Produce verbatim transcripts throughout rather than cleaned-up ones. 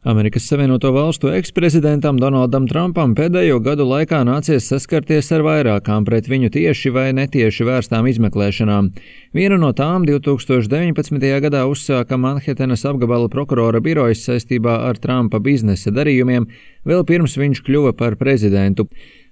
Amerikas Savienoto Valstu eksprezidentam Donaldam Trumpam pēdējo gadu laikā nācies saskarties ar vairākām pret viņu tieši vai netieši vērstām izmeklēšanām. Vienu no tām divs tūkstoš deviņpadsmitajā gadā uzsāka Manhetenas apgabala prokurora birojas saistībā ar Trumpa biznesa darījumiem, vēl pirms viņš kļuva par prezidentu.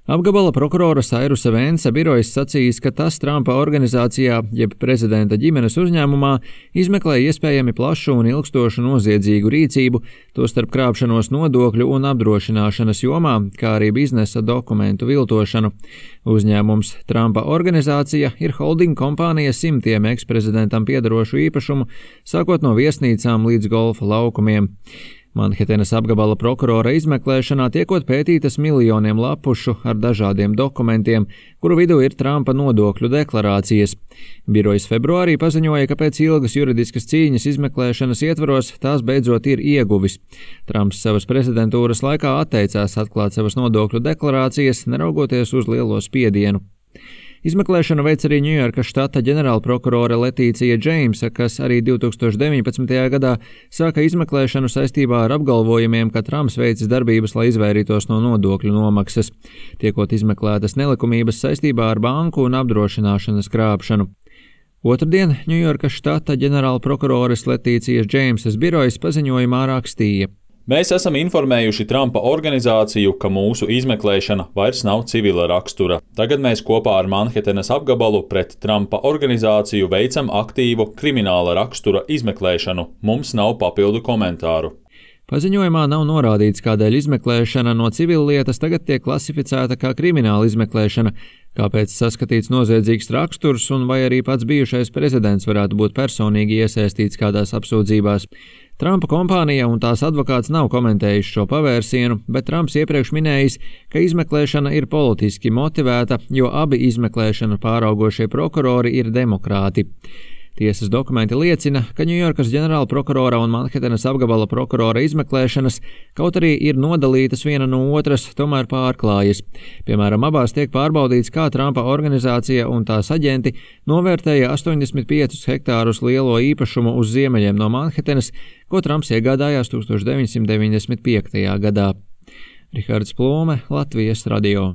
Apgabala prokurora Sairusa Vensa birojas sacījis, ka tas Trumpa organizācijā, jeb prezidenta ģimenes uzņēmumā, izmeklē iespējami plašu un ilgstošu noziedzīgu rīcību, tostarp krāpšanos nodokļu un apdrošināšanas jomā, kā arī biznesa dokumentu viltošanu. Uzņēmums Trumpa organizācija ir holding kompānija simtiem eksprezidentam piederošu īpašumu, sākot no viesnīcām līdz golfa laukumiem. Manhetenas apgabala prokurora izmeklēšanā tiekot pētītas miljoniem lapušu ar dažādiem dokumentiem, kuru vidū ir Trumpa nodokļu deklarācijas. Birojas februārī paziņoja, ka pēc ilgas juridiskas cīņas izmeklēšanas ietvaros tās beidzot ir ieguvis. Trumps savas prezidentūras laikā atteicās atklāt savas nodokļu deklarācijas, neraugoties uz lielo spiedienu. Izmeklēšanu veic arī Ņujorkas štata ģenerālprokurore Letīcija Džeimsa, kas arī divs tūkstoš deviņpadsmitajā gadā sāka izmeklēšanu saistībā ar apgalvojumiem, ka Trumps veicis darbības, lai izvairītos no nodokļu nomaksas, tiekot izmeklētas nelikumības saistībā ar banku un apdrošināšanas krāpšanu. Otrdien Ņujorkas štata ģenerālprokurores Letīcijas Džeimsas birojas paziņojumā rakstīja: Mēs esam informējuši Trumpa organizāciju, ka mūsu izmeklēšana vairs nav civila rakstura. Tagad mēs kopā ar Manhetenas apgabalu pret Trumpa organizāciju veicam aktīvu krimināla rakstura izmeklēšanu. Mums nav papildu komentāru. Paziņojumā nav norādīts, kādēļ izmeklēšana no civillietas tagad tiek klasificēta kā krimināla izmeklēšana, kāpēc saskatīts noziedzīgs raksturs un vai arī pats bijušais prezidents varētu būt personīgi iesaistīts kādās apsūdzībās. Trumpa kompānija un tās advokāts nav komentējuši šo pavērsienu, bet Trumps iepriekš minējis, ka izmeklēšana ir politiski motivēta, jo abi izmeklēšanu pāraugošie prokurori ir demokrāti. Tiesas dokumenti liecina, ka Ņujorkas ģenerālprokurora un Manhetenas apgabala prokurora izmeklēšanas, kaut arī ir nodalītas viena no otras, tomēr pārklājas. Piemēram, abās tiek pārbaudīts, kā Trumpa organizācija un tās aģenti novērtēja astoņdesmit piecus hektārus lielo īpašumu uz ziemeļiem no Manhetenas, ko Trumps iegādājās tūkstoš deviņsimt deviņdesmit piektajā gadā. Rihards Plūme, Latvijas radio.